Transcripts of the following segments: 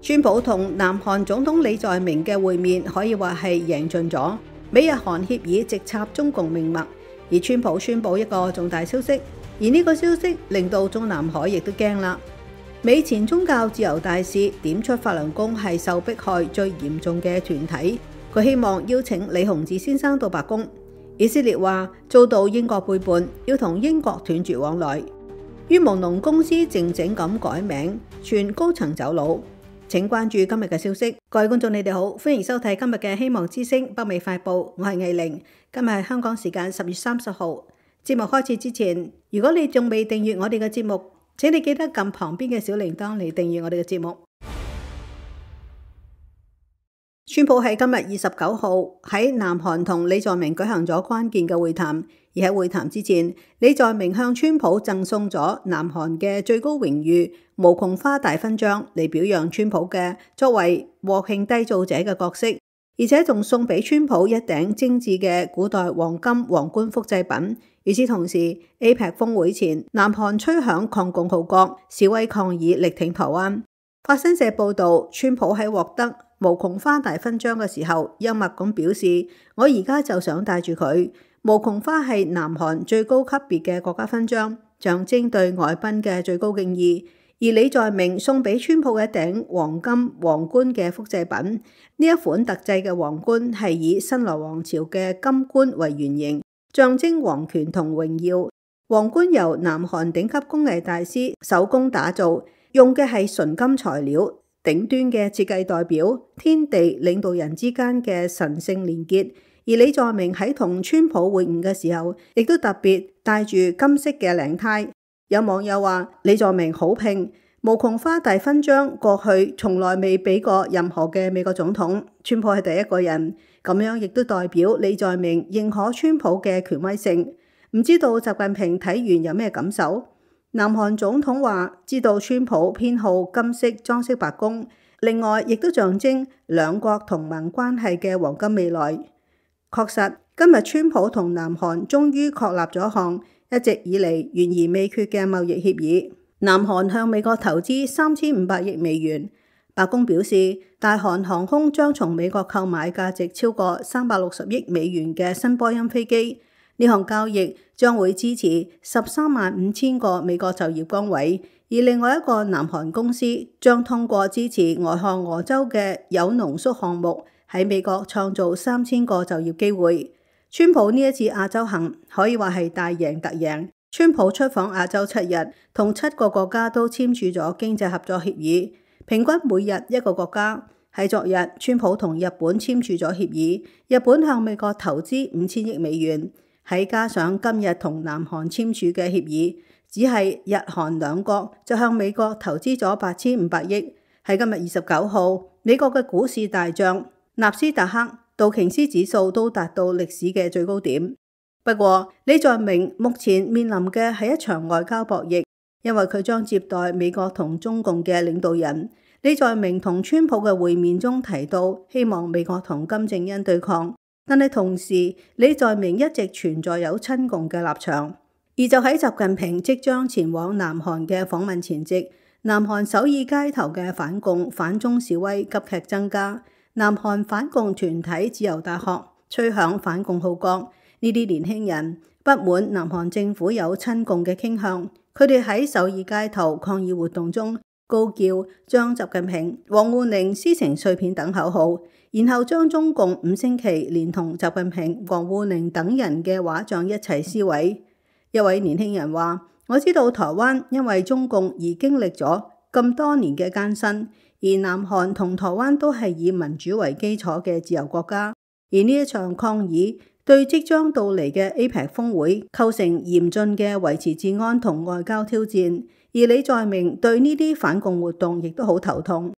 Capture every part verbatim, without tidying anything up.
川普同南韓總統李在明嘅會面可以話係贏盡咗，美日韓協議直插中共命脈，而川普宣布一個重大消息，而呢個消息令到中南海亦都驚啦。美前宗教自由大使點出法輪功係受迫害最嚴重嘅團體，佢希望邀請李洪志先生到白宮。以色列話遭到英國背叛，要同英國斷絕往來。於蒙龍公司靜靜咁改名，傳高層走佬。請關注今日嘅消息。各位觀眾你哋好，歡迎收睇今日嘅希望之聲北美快報，我係藝玲。今日係香港時間十月三十號。節目開始之前，如果你仲未訂閱我哋嘅節目，請你記得撳旁邊嘅小鈴鐺嚟訂閱我哋嘅節目。川普喺今日二十九號喺南韓同李在明舉行咗關鍵嘅會談，而喺會談之前，李在明向川普贈送咗南韓嘅最高榮譽無窮花大勳章嚟表揚川普嘅作為和平締造者嘅角色，而且仲送俾川普一頂精緻嘅古代黃金皇冠複製品。與此同時 ，A P E C 峰會前，南韓吹響抗共號角，示威抗議力挺台灣。法新社報導，川普喺獲得無窮花大勳章嘅時候，幽默咁表示：我而家就想戴住佢。無窮花係南韓最高級別嘅國家勳章，象徵對外賓嘅最高敬意。而李在明送俾川普嘅一頂黃金皇冠嘅複製品，呢一款特製嘅皇冠係以新羅王朝嘅金冠為原型，象徵皇權同榮耀。皇冠由南韓頂級工藝大師手工打造，用嘅係純金材料。頂端嘅設計代表天地領導人之間嘅神聖連結，而李在明喺同川普會晤嘅時候，亦都特別戴住金色嘅領呔。有網友話李在明好拼，無窮花大勳章過去從來未俾過任何嘅美國總統，川普係第一個人，咁樣亦都代表李在明認可川普嘅權威性。唔知道習近平睇完有咩感受？南韓總統話知道川普偏好金色裝飾白宮，另外亦都象徵兩國同盟關係嘅黃金未來。確實，今日川普同南韓終於確立咗項一直以嚟懸而未決嘅貿易協議。南韓向美國投資三千五百億美元。白宮表示，大韓航空將從美國購買價值超過三百六十億美元嘅新波音飛機。呢項交易將會支持十三萬五千個美國就業崗位，而另外一個南韓公司將通過支持俄亥俄州嘅鈾濃縮項目喺美國創造三千個就業機會。川普呢一次亞洲行可以話係大贏特贏。川普出訪亞洲七日，同七個國家都簽署咗經濟合作協議，平均每日一個國家。喺昨日，川普同日本簽署咗協議，日本向美國投資五千億美元。喺加上今日同南韓簽署嘅協議，只係日韓兩國就向美國投資咗八千五百億。喺今日二十九號，美國嘅股市大漲，納斯達克、道瓊斯指數都達到歷史嘅最高點。不過，李在明目前面臨嘅係一場外交博弈，因為佢將接待美國同中共嘅領導人。李在明同川普嘅會面中提到，希望美國同金正恩對抗。但係同時，李在明一直存在有親共嘅立場，而就喺習近平即將前往南韓嘅訪問前夕，南韓首爾街頭嘅反共反中示威急劇增加。南韓反共團體自由大學吹響反共號角，呢啲年輕人不滿南韓政府有親共嘅傾向，佢哋喺首爾街頭抗議活動中高叫將習近平、王滬寧撕成碎片等口號。然後將中共五星旗連同習近平、王滬寧等人嘅畫像一齊撕毀。一位年輕人話：我知道台灣因為中共而經歷咗咁多年嘅艱辛，而南韓同台灣都係以民主為基礎嘅自由國家。而呢一場抗議對即將到嚟嘅 A P E C 峰會構成嚴峻嘅維持治安同外交挑戰。而李在明對呢啲反共活動亦都好頭痛。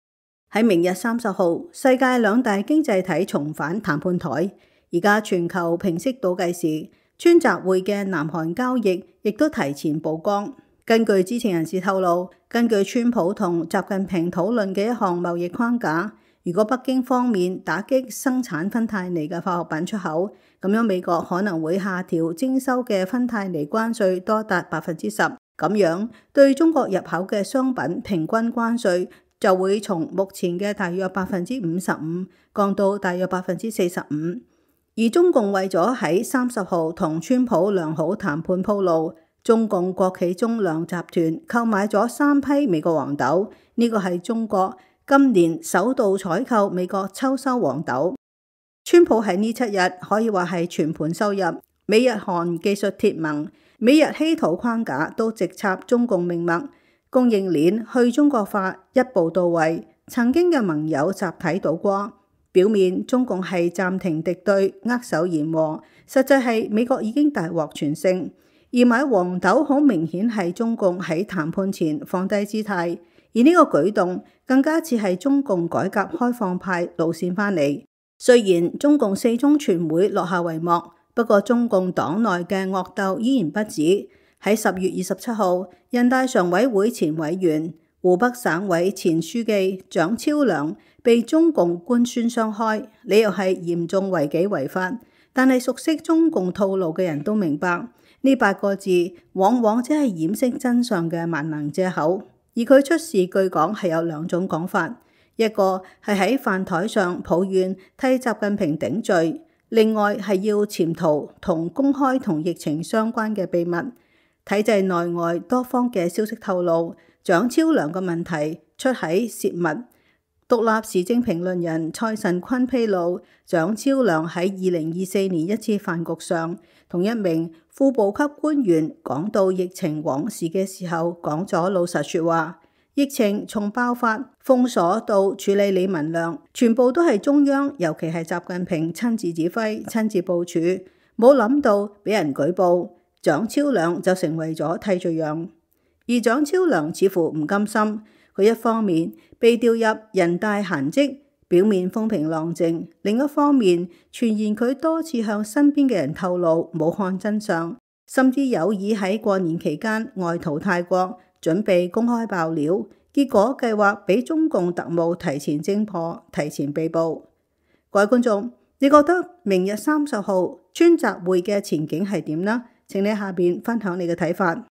喺明日三十號，世界兩大經濟體重返談判台。而家全球平息倒計時，川習會嘅南韓交易亦都提前曝光。根據知情人士透露，根據川普同習近平討論嘅一項貿易框架，如果北京方面打擊生產芬太尼嘅化學品出口，咁樣美國可能會下調徵收嘅芬太尼關稅多達百分之十。咁樣對中國入口嘅商品平均關稅就會從目前嘅大約百分之五十五降到大約百分之四十五。而中共為咗喺三十號同川普良好談判鋪路，中共國企中糧集團購買咗三批美國黃豆，呢個係中國今年首度採購美國秋收黃豆。川普喺呢七日可以話係全盤收入，美日韓技術鐵盟、美日稀土框架都直插中共命脈，供應鏈去中國化一步到位，曾經嘅盟友集體倒戈。表面中共係暫停敵對、握手言和，實際係美國已經大獲全勝。而買黃豆好明顯係中共喺談判前放低姿態，而呢個舉動更加似係中共改革開放派路線翻嚟。雖然中共四中全會落下帷幕，不過中共黨內嘅惡鬥依然不止。喺十月二十七號，人大常委會前委員、湖北省委前書記蔣超良被中共官宣雙開，理由係嚴重違紀違法。但係熟悉中共套路嘅人都明白，呢八個字往往只係掩飾真相嘅萬能藉口。而佢出事據講係有兩種講法，一個係喺飯台上抱怨替習近平頂罪，另外係要潛逃同公開同疫情相關嘅秘密。體制內外多方嘅消息透露，蔣超良嘅問題出喺泄密。獨立時政評論人蔡慎坤披露，蔣超良喺二零二四年一次飯局上，同一名副部級官員講到疫情往事嘅時候，講咗老實說話。疫情從爆發、封鎖到處理李文亮，全部都係中央，尤其係習近平親自指揮、親自部署，冇諗到俾人舉報。蔣超良就成為咗替罪羊，而蔣超良似乎唔甘心，佢一方面被調入人大閒職，表面風平浪靜，另一方面傳言佢多次向身邊嘅人透露武漢真相，甚至有意喺過年期間外逃泰國，準備公開爆料，結果計劃俾中共特務提前偵破，提前被捕。各位觀眾，你覺得明日三十號川習會嘅前景係點呢？請你下邊分享你嘅睇法。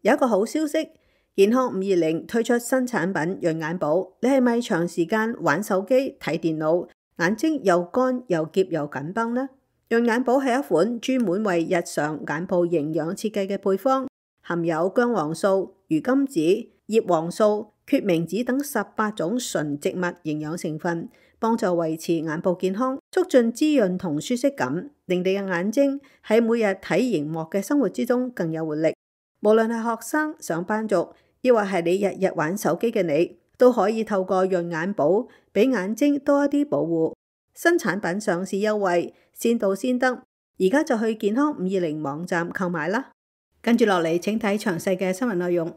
有一個好消息，健康五二零推出新產品潤眼寶。你係咪長時間玩手機睇電腦，眼睛又乾又澀又緊繃呢？潤眼寶係一款專門為日常眼部營養設計嘅配方，含有薑黃素、魚甘子、葉黃素、決明子等十八種純植物營養成分，幫助維持眼部健康，促進滋潤同舒適感，令你嘅眼睛喺每日睇螢幕嘅生活之中更有活力。無論係學生、上班族，抑或係你日日玩手機嘅你，都可以透過潤眼寶俾眼睛多一啲保護。新產品上市優惠，先到先得，而家就去健康五二零網站購買啦。跟住落嚟，請睇詳細嘅新聞內容。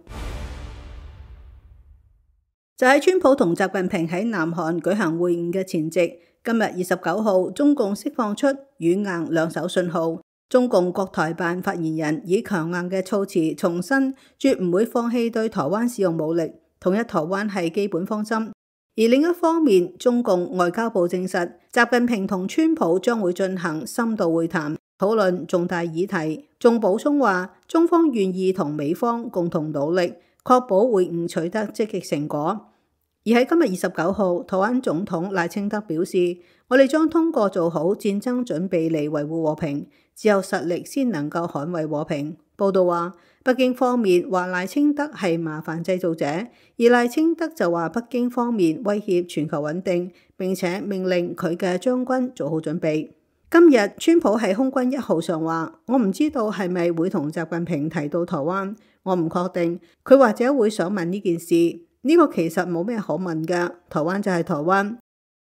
就喺川普同習近平喺南韓舉行會晤嘅前夕，今日二十九號，中共釋放出軟硬兩手信號。中共國台辦發言人以強硬嘅措辭重申，絕唔會放棄對台灣使用武力，統一台灣係基本方針。而另一方面，中共外交部證實，習近平同川普將會進行深度會談，討論重大議題。仲補充話，中方願意同美方共同努力，確保會晤取得積極成果。而喺今日二十九號，台灣總統賴清德表示，我哋將通過做好戰爭準備嚟維護和平，只有實力先能夠捍衛和平。報道話，北京方面話賴清德係麻煩製造者，而賴清德就話北京方面威脅全球穩定，並且命令佢嘅將軍做好準備。今日川普喺空軍一號上話，我唔知道係咪會同習近平提到台灣，我唔確定，佢或者會想問呢件事。呢個其實冇咩可問嘅，台灣就係台灣。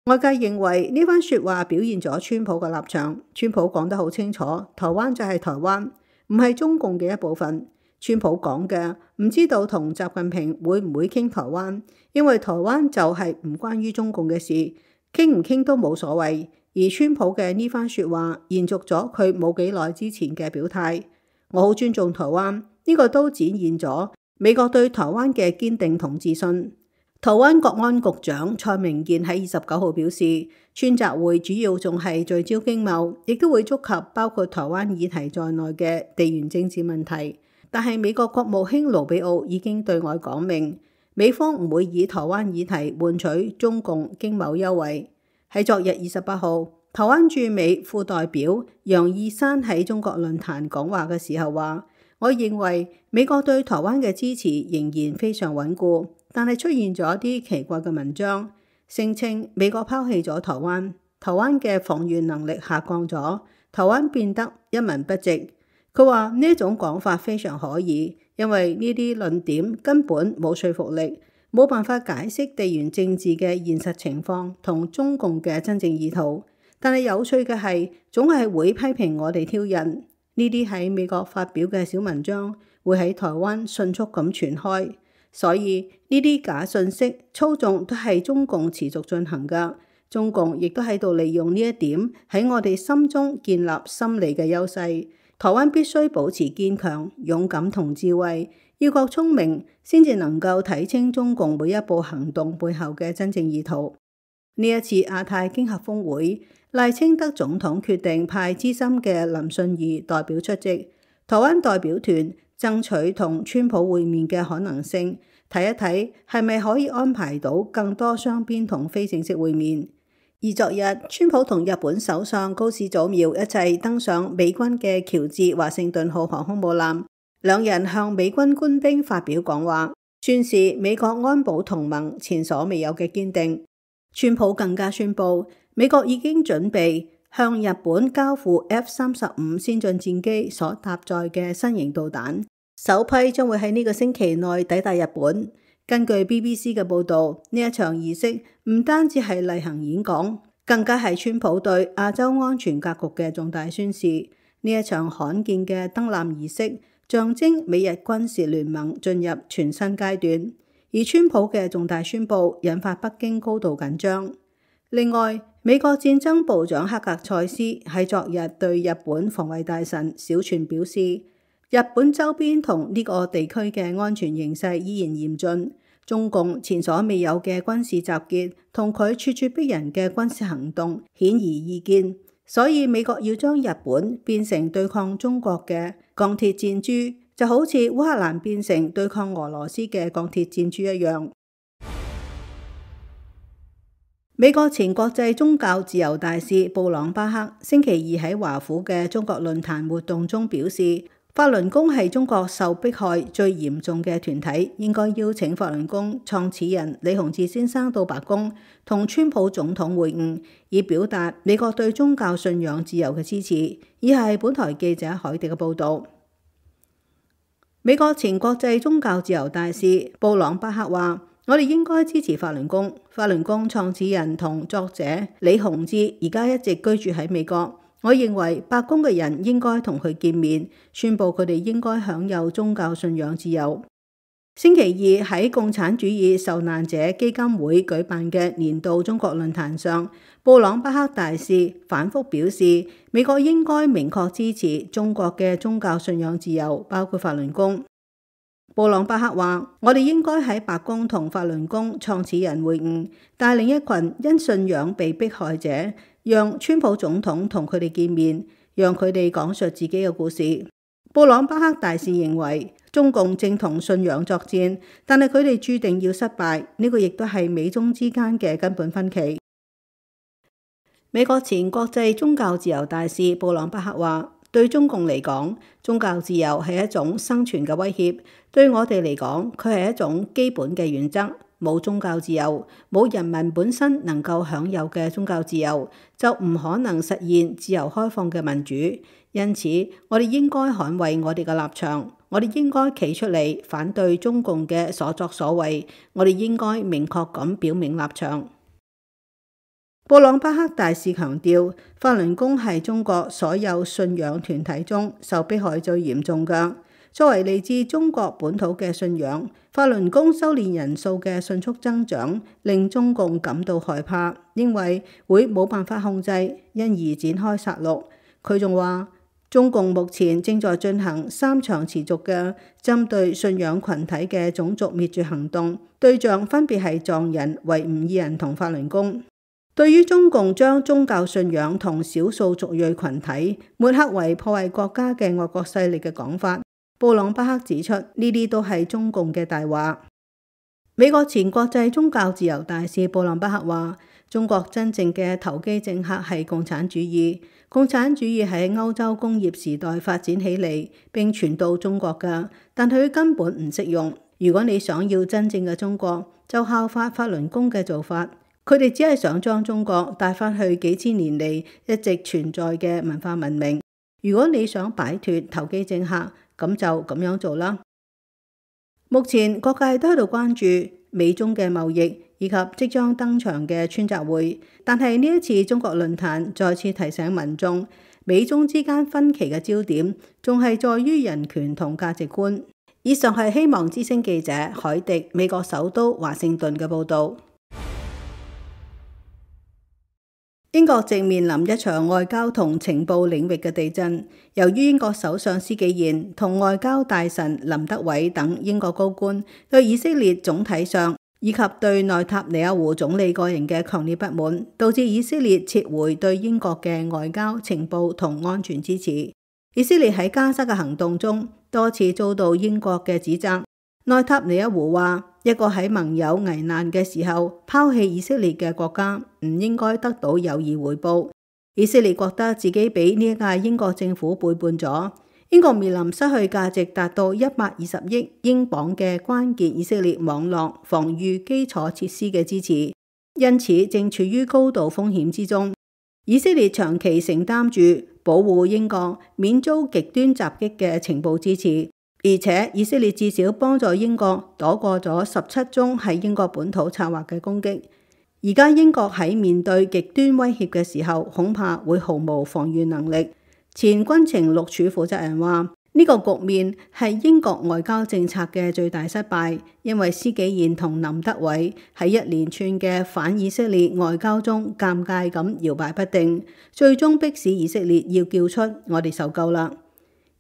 外界認為呢番說話表現咗川普嘅立場。川普講得好清楚，台灣就係台灣，唔係中共嘅一部分。川普講嘅唔知道同習近平會唔會傾台灣，因為台灣就係唔關於中共嘅事，傾唔傾都冇所謂。而川普嘅呢番說話延續咗佢冇幾耐之前嘅表態，我好尊重台灣，呢個都展現咗美國對台灣嘅堅定同自信。台灣國安局長蔡明健喺二十九號表示，川習會主要仲係聚焦經貿，亦都會觸及包括台灣議題在內嘅地緣政治問題。但係美國國務卿盧比奧已經對外講明，美方唔會以台灣議題換取中共經貿優惠。喺昨日二十八號，台灣駐美副代表楊義山喺中國論壇講話嘅時候話：我認為美國對台灣嘅支持仍然非常穩固，但係出現咗啲奇怪嘅文章，聲稱美國拋棄咗台灣，台灣嘅防禦能力下降咗，台灣變得一文不值。佢話呢一種講法非常可疑，因為呢啲論點根本冇說服力，冇辦法解釋地緣政治嘅現實情況同中共嘅真正意圖。但係有趣嘅係，總係會批評我哋挑釁。呢啲喺美國發表嘅小文章會喺台灣迅速咁傳開，所以呢啲假信息操縱都係中共持續進行㗎。中共亦都喺度利用呢一點喺我哋心中建立心理嘅優勢。台灣必須保持堅強、勇敢同智慧，要夠聰明，先至能夠睇清中共每一步行動背後嘅真正意圖。呢一次亞太經合峰會，賴清德總統決定派資深嘅林信義代表出席，台灣代表團爭取同川普會面嘅可能性，睇一睇係咪可以安排到更多雙邊同非正式會面。而昨日，川普同日本首相高市早苗一齊登上美軍嘅喬治華盛頓號航空母艦，兩人向美軍官兵發表講話，宣示美國安保同盟前所未有嘅堅定。川普更加宣布，美國已經準備向日本交付 F 三十五先進戰機所搭載嘅新型導彈，首批將會喺呢個星期內抵達日本。根據 B B C 嘅報導，呢一場儀式唔單止係例行演講，更加係川普對亞洲安全格局嘅重大宣示。呢一場罕見嘅登艦儀式，象徵美日軍事聯盟進入全新階段。而川普嘅重大宣佈引發北京高度緊張。另外，美國戰爭部長克格塞斯喺昨日對日本防衛大臣小泉表示，日本周邊同呢個地區嘅安全形勢依然嚴峻，中共前所未有嘅軍事集結同佢處處逼人嘅軍事行動顯而易見，所以美國要將日本變成對抗中國嘅鋼鐵戰珠，就好似烏克蘭變成對抗俄羅斯嘅鋼鐵戰珠一樣。美國前國際宗教自由大使布朗巴克星期二喺華府嘅中國論壇活動中表示，法輪功係中國受迫害最嚴重嘅團體，應該邀請法輪功創始人李洪志先生到白宮同川普總統會晤，以表達美國對宗教信仰自由嘅支持。以下係本台記者海迪嘅報導。美國前國際宗教自由大使布朗巴克話：我哋應該支持法輪功。法輪功創始人同作者李洪志而家一直居住喺美國。我認為白宮嘅人應該同佢見面，宣布佢哋應該享有宗教信仰自由。星期二喺共產主義受難者基金會舉辦嘅年度中國論壇上，布朗巴克大使反覆表示，美國應該明確支持中國嘅宗教信仰自由，包括法輪功。布朗巴克話：我哋應該喺白宮同法輪功創始人會晤，帶領一群因信仰被迫害者，讓川普總統同佢哋見面，讓佢哋講述自己嘅故事。布朗巴克大使認為，中共正同信仰作戰，但係佢哋注定要失敗，呢個亦都係美中之間嘅根本分歧。美國前國際宗教自由大使布朗巴克話：對中共嚟講，宗教自由係一種生存嘅威脅；對我哋嚟講，佢係一種基本嘅原則。冇宗教自由，冇人民本身能夠享有嘅宗教自由，就唔可能實現自由開放嘅民主。因此，我哋應該捍衛我哋嘅立場，我哋應該企出嚟反對中共嘅所作所為，我哋應該明確咁表明立場。布朗巴克大使強調，法輪功係中國所有信仰團體中受迫害最嚴重嘅。作為嚟自中國本土嘅信仰，法輪功修煉人數嘅迅速增長，令中共感到害怕，認為會冇辦法控制，因而展開殺戮。佢仲話，中共目前正在進行三場持續嘅針對信仰群體嘅種族滅絕行動，對象分別係藏人、維吾爾人同法輪功。對於中共將宗教信仰同少數族裔群體抹黑為破壞國家嘅外國勢力嘅講法，布朗巴克指出，呢啲都係中共嘅大話。美國前國際宗教自由大使布林巴克話：中國真正嘅投機政客係共產主義，共產主義喺歐洲工業時代發展起嚟並傳到中國㗎，但佢根本唔適用。如果你想要真正嘅中國，就效法法輪功嘅做法，佢哋只係想將中國帶返去幾千年嚟一直存在嘅文化文明。如果你想擺脫投機政客，咁就咁樣做啦。目前各界都喺度關注美中嘅貿易以及即將登場嘅川習會，但係呢一次中國論壇再次提醒民眾，美中之間分歧嘅焦點仲係在於人權同價值觀。以上係希望之聲記者海迪美國首都華盛頓嘅報導。英國正面臨一場外交同情報領域嘅地震，由於英國首相施紀賢同外交大臣林德偉等英國高官對以色列總體上以及對內塔尼亞胡總理個人嘅強烈不滿，導致以色列撤回對英國嘅外交、情報同安全支持。以色列喺加沙嘅行動中多次遭到英國嘅指責。內塔尼亞胡話：一個喺盟友危難嘅時候拋棄以色列嘅國家，唔應該得到友誼回報。以色列覺得自己俾呢一屆英國政府背叛咗。英國面臨失去價值達到一百二十億英鎊嘅關鍵以色列網絡防禦基礎設施嘅支持，因此正處於高度風險之中。以色列長期承擔住保護英國免遭極端襲擊嘅情報支持。而且以色列至少幫助英國躲過咗十七宗喺英國本土策劃嘅攻擊。而家英國喺面對極端威脅嘅時候，恐怕會毫無防禦能力。前軍情六處負責人話：呢個局面係英國外交政策嘅最大失敗，因為施紀賢同林德偉喺一連串嘅反以色列外交中尷尬咁搖擺不定，最終迫使以色列要叫出我哋受夠啦。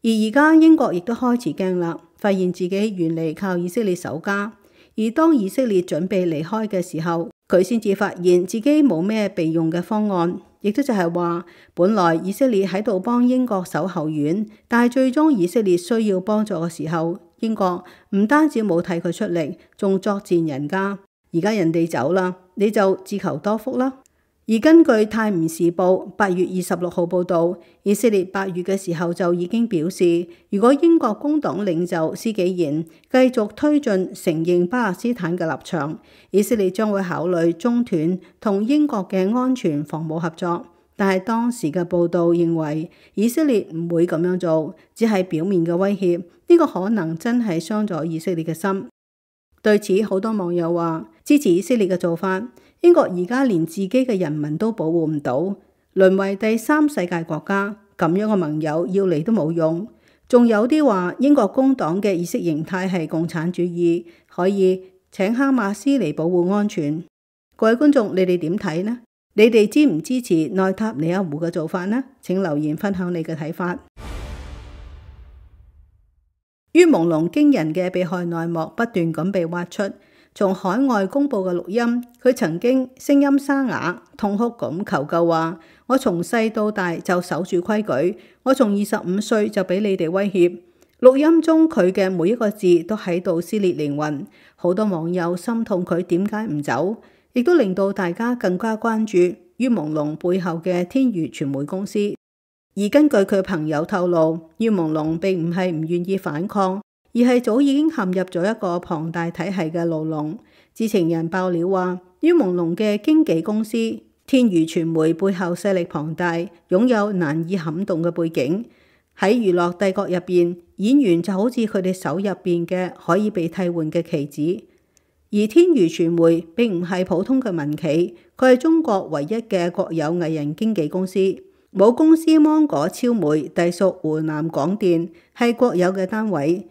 而而家英國亦都開始驚啦，發現自己原嚟靠以色列守家。而當以色列準備離開嘅時候，佢先至發現自己冇咩備用嘅方案，亦都就係話，本來以色列喺度幫英國守後院，但係最終以色列需要幫助嘅時候，英國唔單止冇替佢出力，仲作踐人家。而家人哋走啦，你就自求多福啦。而根據《泰晤士報》八月二十六號報導，以色列八月嘅時候就已經表示，如果英國工黨領袖施紀賢繼續推進承認巴勒斯坦嘅立場，以色列將會考慮中斷同英國嘅安全防務合作。但係當時嘅報導認為，以色列唔會咁樣做，只係表面嘅威脅。呢個可能真係傷咗以色列嘅心。對此，好多網友話支持以色列嘅做法。英國而家連自己嘅人民都保護唔到，淪為第三世界國家，咁樣嘅盟友要嚟都冇用。仲有啲話英國工黨嘅意識形態係共產主義，可以請哈馬斯嚟保護安全。各位觀眾，你哋點睇呢？你哋支唔支持內塔尼亞胡嘅做法呢？請留言分享你嘅睇法。于朦朧驚人嘅被害內幕不斷咁被挖出。從海外公佈嘅錄音，佢曾經聲音沙啞、痛哭咁求救話：我從細到大就守住規矩，我從二十五歲就俾你哋威脅。錄音中佢嘅每一個字都喺度撕裂靈魂，好多網友心痛佢點解唔走，亦都令到大家更加關注于朦朧背後嘅天娛傳媒公司。而根據佢朋友透露，于朦朧並唔係唔願意反抗，而係早已經陷入咗一個龐大體系嘅牢籠。知情人爆料話，于朦朧嘅經紀公司天娛傳媒背後勢力龐大，擁有難以撼動嘅背景。喺娛樂帝國入邊，演員就好似佢哋手入邊嘅可以被替換嘅棋子。而天娛傳媒並唔係普通嘅民企，佢係中國唯一嘅國有藝人經紀公司。母公司芒果超媒隸屬湖南廣電，係國有嘅單位。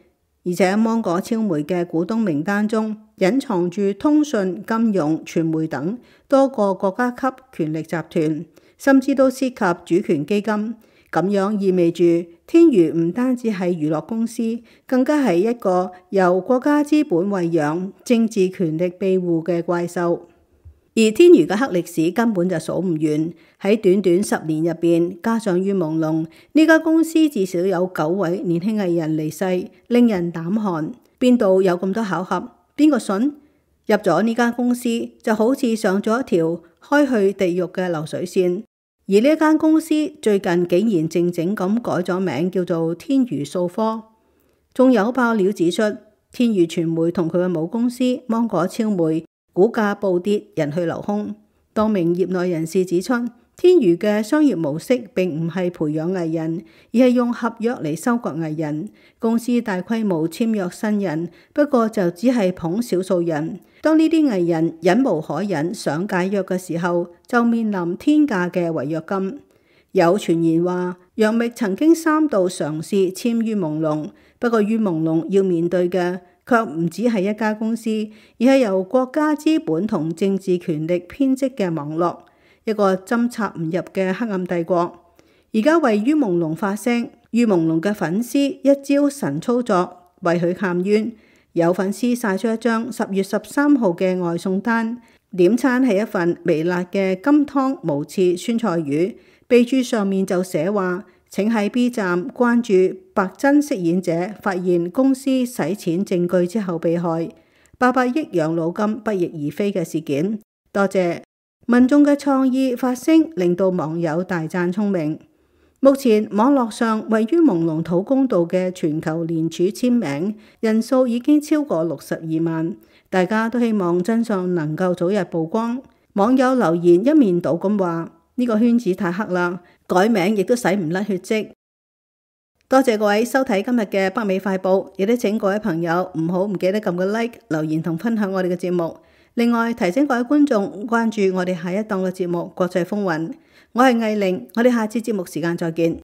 而且芒果超媒嘅股東名單中隱藏住通訊、金融、傳媒等多個國家級權力集團，甚至都涉及主權基金。咁樣意味住天娛唔單止係娛樂公司，更加係一個由國家資本餵養、政治權力庇護嘅怪獸。而天娛嘅黑歷史根本就數唔完，喺短短十年入邊，加上于朦朧，呢家公司至少有九位年輕藝人離世，令人膽寒。邊度有咁多巧合？邊個信？入咗呢間公司就好似上咗一條開去地獄嘅流水線。而呢間公司最近竟然靜靜咁改咗名，叫做天娛數科。仲有爆料指出，天娛傳媒同佢嘅母公司芒果超媒股價暴跌，人去樓空。多名業內人士指出，天娛嘅商業模式並唔係培養藝人，而係用合約嚟收割藝人。公司大規模簽約新人，不過就只係捧少數人。當呢啲藝人忍無可忍想解約嘅時候，就面臨天價嘅違約金。有傳言話，楊冪曾經三度嘗試簽於朦朧，不過於朦朧要面對嘅卻唔只係一家公司，而係由國家資本同政治權力編織嘅網絡，一個針插唔入嘅黑暗帝國。而家為於朦朧發聲，於朦朧嘅粉絲一招神操作，為佢喊冤。有粉絲晒出一張十月十三號嘅外送單，點餐係一份微辣嘅金湯無刺酸菜魚，備註上面就寫話：請喺 B 站關注白真飾演者發現公司洗錢證據之後被害，八百億養老金不翼而飛嘅事件。多謝民眾嘅創意發聲，令到網友大讚聰明。目前網絡上位於朦朧討公道嘅全球聯署簽名人數已經超過六十二萬，大家都希望真相能夠早日曝光。網友留言一面倒咁話：呢個圈子太黑啦，改名亦都洗唔甩血跡。多謝各位收睇今日嘅北美快報，亦都請各位朋友唔好唔記得撳個 like、留言同分享我哋嘅節目。另外提醒各位觀眾關注我哋下一檔嘅節目《國際風雲》。我係藝玲，我哋下次節目時間再見。